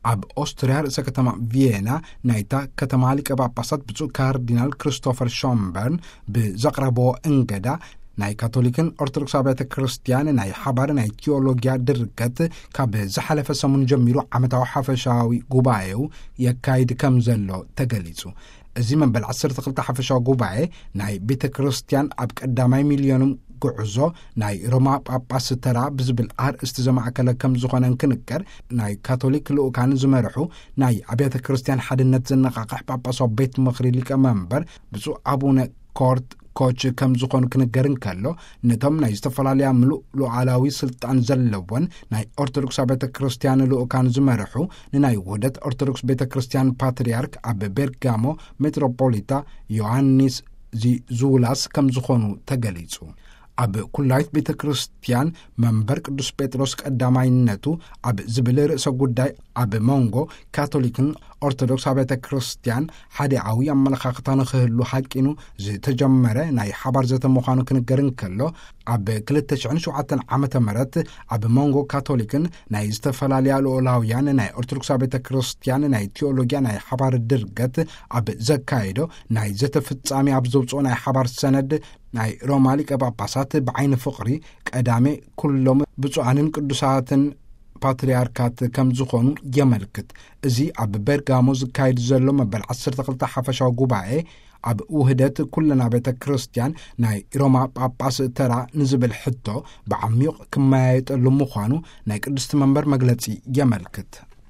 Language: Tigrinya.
ኣብ ኦስትርያ ርእሰ ከተማ ቪየና ናይታ ከተማ ሊቀ ጳጳሳት ብፁዕ ካርዲናል ክርስቶፈር ሾምበርን ብዘቕረብዎ እንገዳ፣ ናይ ካቶሊክን ኦርቶዶክስ ኣብያተ ክርስቲያን ናይ ሓባር ናይ ቲዮሎጊያ ድርገት ካብ ዝሓለፈ ሰሙን ጀሚሩ ዓመታዊ ሓፈሻዊ ጉባኤው የካይድ ከም ዘሎ ተገሊጹ። እዚ መበል ዓሰርተ ክልተ ሓፈሻዊ ጉባኤ ናይ ቤተ ክርስቲያን ኣብ ቀዳማይ ሚልዮንም ጉዕዞ ናይ ሮማ ጳጳስ ተራ ብዝብል ኣርእስቲ ዘማእከለ ከም ዝኾነ እንክንገር፣ ናይ ካቶሊክ ልኡካን ዝመርሑ ናይ ኣብያተ ክርስቲያን ሓድነት ዘነቓቕሕ ጳጳሳዊ ቤት ምኽሪ ሊቀ መንበር ብፁዕ ኣቡነ ኮርት ኮች ከም ዝኾኑ ክንገር እንከሎ፣ ነቶም ናይ ዝተፈላለያ ምሉእ ሉዓላዊ ስልጣን ዘለወን ናይ ኦርቶዶክስ ቤተ ክርስቲያን ልኡካን ዝመርሑ ንናይ ውህደት ኦርቶዶክስ ቤተ ክርስቲያን ፓትርያርክ ኣብ ቤርጋሞ ሜትሮፖሊታ ዮሃንስ ዚዙላስ ከም ዝኾኑ ተገሊጹ። ኣብ ኩላይት ቤተ ክርስቲያን መንበር ቅዱስ ጴጥሮስ ቀዳማይነቱ ኣብ ዝብል ርእሰ ጉዳይ፣ ኣብ መንጎ ካቶሊክን ኦርቶዶክስ ኣብያተ ክርስቲያን ሓዲኣዊ ኣመለኻኽታ ንኽህሉ ሓቂኑ ዝተጀመረ ናይ ሓባር ዘተ ምዃኑ ክንገር እንከሎ፣ ኣብ ክልተ ሽሕን ሸውዓተን ዓመተ ምህረት ኣብ መንጎ ካቶሊክን ናይ ዝተፈላለያ ልኡላውያን ናይ ኦርቶዶክስ ቤተ ክርስቲያን ናይ ቲዮሎጊያ ናይ ሓባር ድርገት ኣብ ዘካየዶ ናይ ዘተ ፍጻሜ ኣብ ዘውፅኦ ናይ ሓባር ሰነድ፣ ናይ ሮማ ሊቀ ጳጳሳት ብዓይኒ ፍቕሪ ቀዳሜ ኩሎም ብፁዓንን ቅዱሳትን ፓትርያርካት ከም ዝኾኑ የመልክት። እዚ ኣብ ቤርጋሞ ዝካየድ ዘሎ መበል ዓሰርተ ክልተ ሓፈሻዊ ጉባኤ፣ ኣብ ውህደት ኩለን ቤተ ክርስቲያን ናይ ሮማ ጳጳስ ተራ ንዝብል ሕቶ ብዓሚቕ ክመያየጠሉ ምዃኑ ናይ ቅድስቲ መንበር መግለጺ የመልክት።